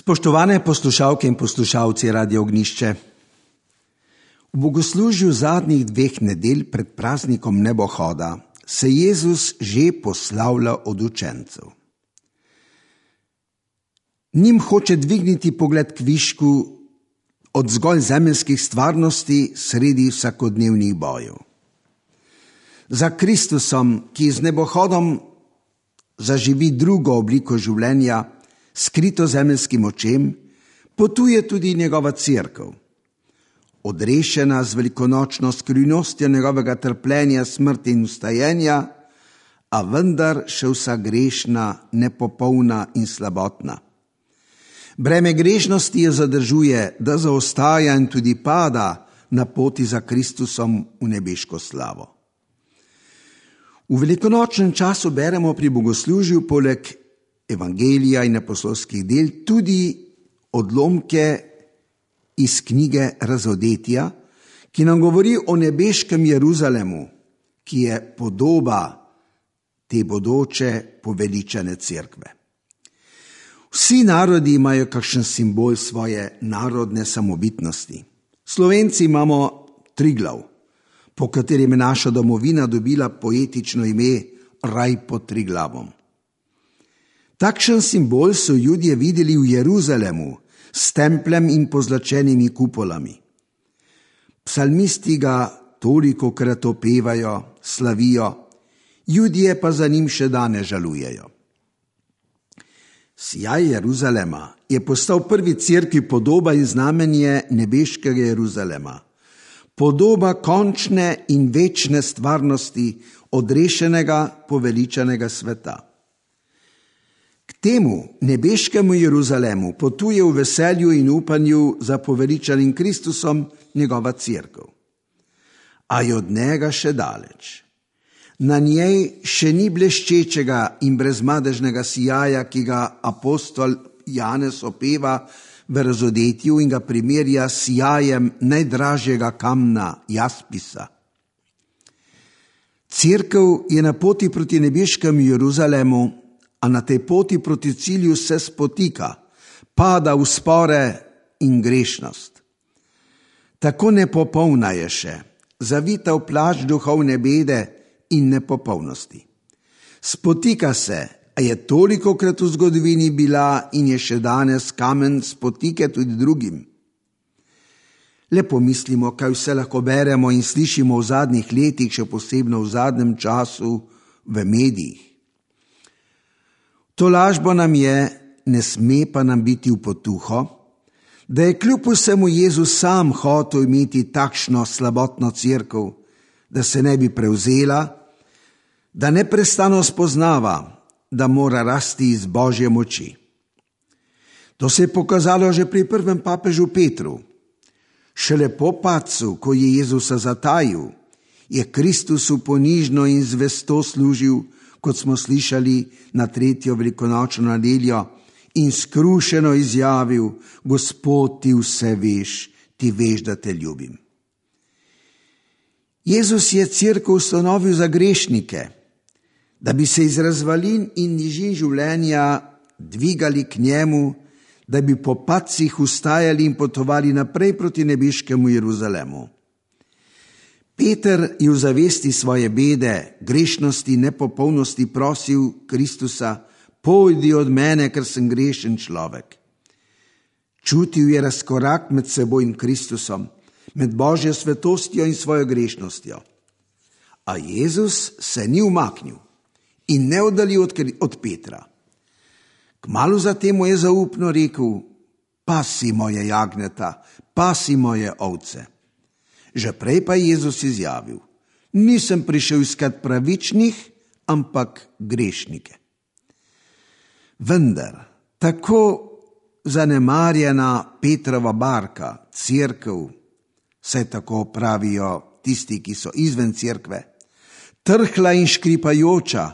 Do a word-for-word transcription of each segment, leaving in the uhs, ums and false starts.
Spoštovane poslušalke in poslušalci Radio Ognjišče. V bogoslužju zadnjih dveh nedelj pred praznikom nebohoda se Jezus že poslavlja od učencev. Njim hoče dvigniti pogled k višku od zgolj zemeljskih stvarnosti sredi vsakodnevnih bojev. Za Kristusom, ki z nebohodom zaživi drugo obliko življenja, skrito zemeljskim očem, potuje tudi njegova cerkev. Odrešena z velikonočno skrivnostjo njegovega trpljenja, smrti in vstajenja, a vendar še vsa grešna, nepopolna in slabotna. Breme grešnosti jo zadržuje, da zaostaja in tudi pada na poti za Kristusom v nebeško slavo. V velikonočnem času beremo pri bogoslužju poleg Evangelija in apostolskih del tudi odlomke iz knjige Razodetja, ki nam govori o nebeškem Jeruzalemu, ki je podoba te bodoče poveličane cerkve. Vsi narodi imajo kakšen simbol svoje narodne samobitnosti. Slovenci imamo Triglav, po katerem je naša domovina dobila poetično ime Raj pod Triglavom. Takšen simbol so Judje videli v Jeruzalemu s templjem in pozlačenimi kupolami. Psalmisti ga tolikokrat opevajo, slavijo, Judje pa za njim še danes žalujejo. Sijaj Jeruzalema je postal prvi cerkvi podoba in znamenje nebeškega Jeruzalema, podoba končne in večne stvarnosti odrešenega, poveličanega sveta. K temu nebeškemu Jeruzalemu potuje v veselju in upanju za poveličanim Kristusom njegova cerkev. A je od njega še daleč. Na njej še ni bleščečega in brezmadežnega sijaja, ki ga apostol Janez opeva v Razodetju in ga primerja s sijajem najdražjega kamna jaspisa. Cerkev je na poti proti nebeškemu Jeruzalemu, a na tej poti proti cilju se spotika, pada v spore in grešnost. Tako nepopolna je še, zavita v plašč duhovne bede in nepopolnosti. Spotika se, a je tolikokrat v zgodovini bila in je še danes kamen spotike tudi drugim. Le pomislimo, kaj vse lahko beremo in slišimo v zadnjih letih, še posebno v zadnjem času v medijih. To lažbo nam je, ne sme pa nam biti v potuho, da je kljub vsemu Jezus sam hotel imeti takšno slabotno cerkev, da se ne bi prevzela, da neprestano spoznava, da mora rasti iz Božje moči. To se je pokazalo že pri prvem papežu Petru. Šele po padcu, ko je Jezusa zatajil, je Kristusu ponižno in zvesto služil, kot smo slišali na tretjo velikonočno nedeljo, in skrušeno izjavil: Gospod, ti vse veš, ti veš, da te ljubim. Jezus je cerkev ustanovil za grešnike, da bi se iz razvalin in nižin življenja dvigali k njemu, da bi po padcih vstajali in potovali naprej proti nebeškemu Jeruzalemu. Peter je v zavesti svoje bede, grešnosti, nepopolnosti prosil Kristusa: Pojdi od mene, ker sem grešen človek. Čutil je razkorak med seboj in Kristusom, med Božjo svetostjo in svojo grešnostjo. A Jezus se ni umaknil in ne oddaljil od, od Petra. Kmalu zatem mu je zaupno rekel: Pasi moje jagnjeta, pasi moje ovce. Že prej pa je Jezus izjavil: Nisem prišel iskat pravičnih, ampak grešnike. Vendar, tako zanemarjena Petrova barka, cerkev, saj tako pravijo tisti, ki so izven cerkve, trhla in škripajoča,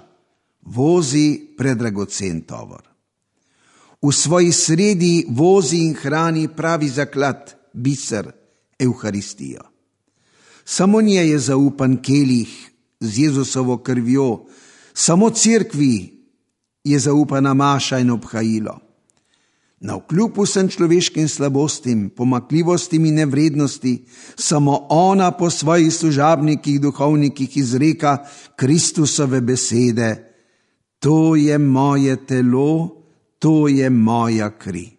vozi predragocen tovor. V svoji sredi vozi in hrani pravi zaklad, biser, Evharistijo. Samo njej je zaupan kelih z Jezusovo krvjo, samo cerkvi je zaupana maša in obhajilo. Navkljub vsem človeškim slabostim, pomakljivostim in nevrednosti, samo ona po svojih služabnikih, duhovnikih izreka Kristusove besede: to je moje telo, to je moja kri.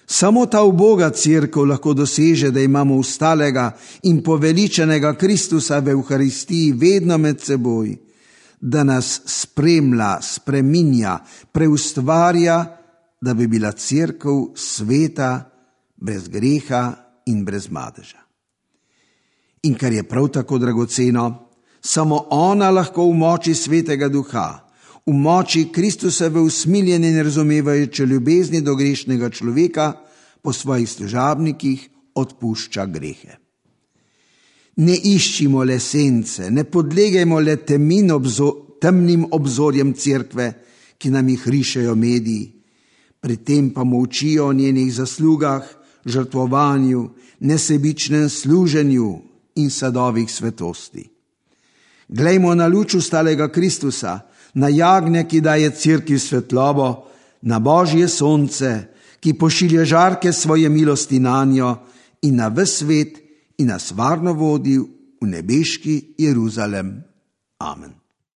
Samo ta uboga cerkev lahko doseže, da imamo ustalega in poveličenega Kristusa v Evharistiji vedno med seboj, da nas spremlja, spreminja, preustvarja, da bi bila cerkev sveta, brez greha in brez madeža. In kar je prav tako dragoceno, samo ona lahko v moči Svetega Duha, v moči Kristusove usmiljene in razumevajoče ljubezni do grešnega človeka po svojih služabnikih odpušča grehe. Ne iščimo le sence, ne podlegajmo le temin obzo, temnim obzorjem cerkve, ki nam jih rišejo mediji, pri tem pa molčijo o njenih zaslugah, žrtvovanju, nesebičnem služenju in sadovih svetosti. Glejmo na luč ustalega Kristusa, na jagnja, ki daje cerkvi svetlobo, na Božje sonce, ki pošilja žarke svoje milosti nanjo, in na ves svet in nas varno vodi v nebeški Jeruzalem. Amen.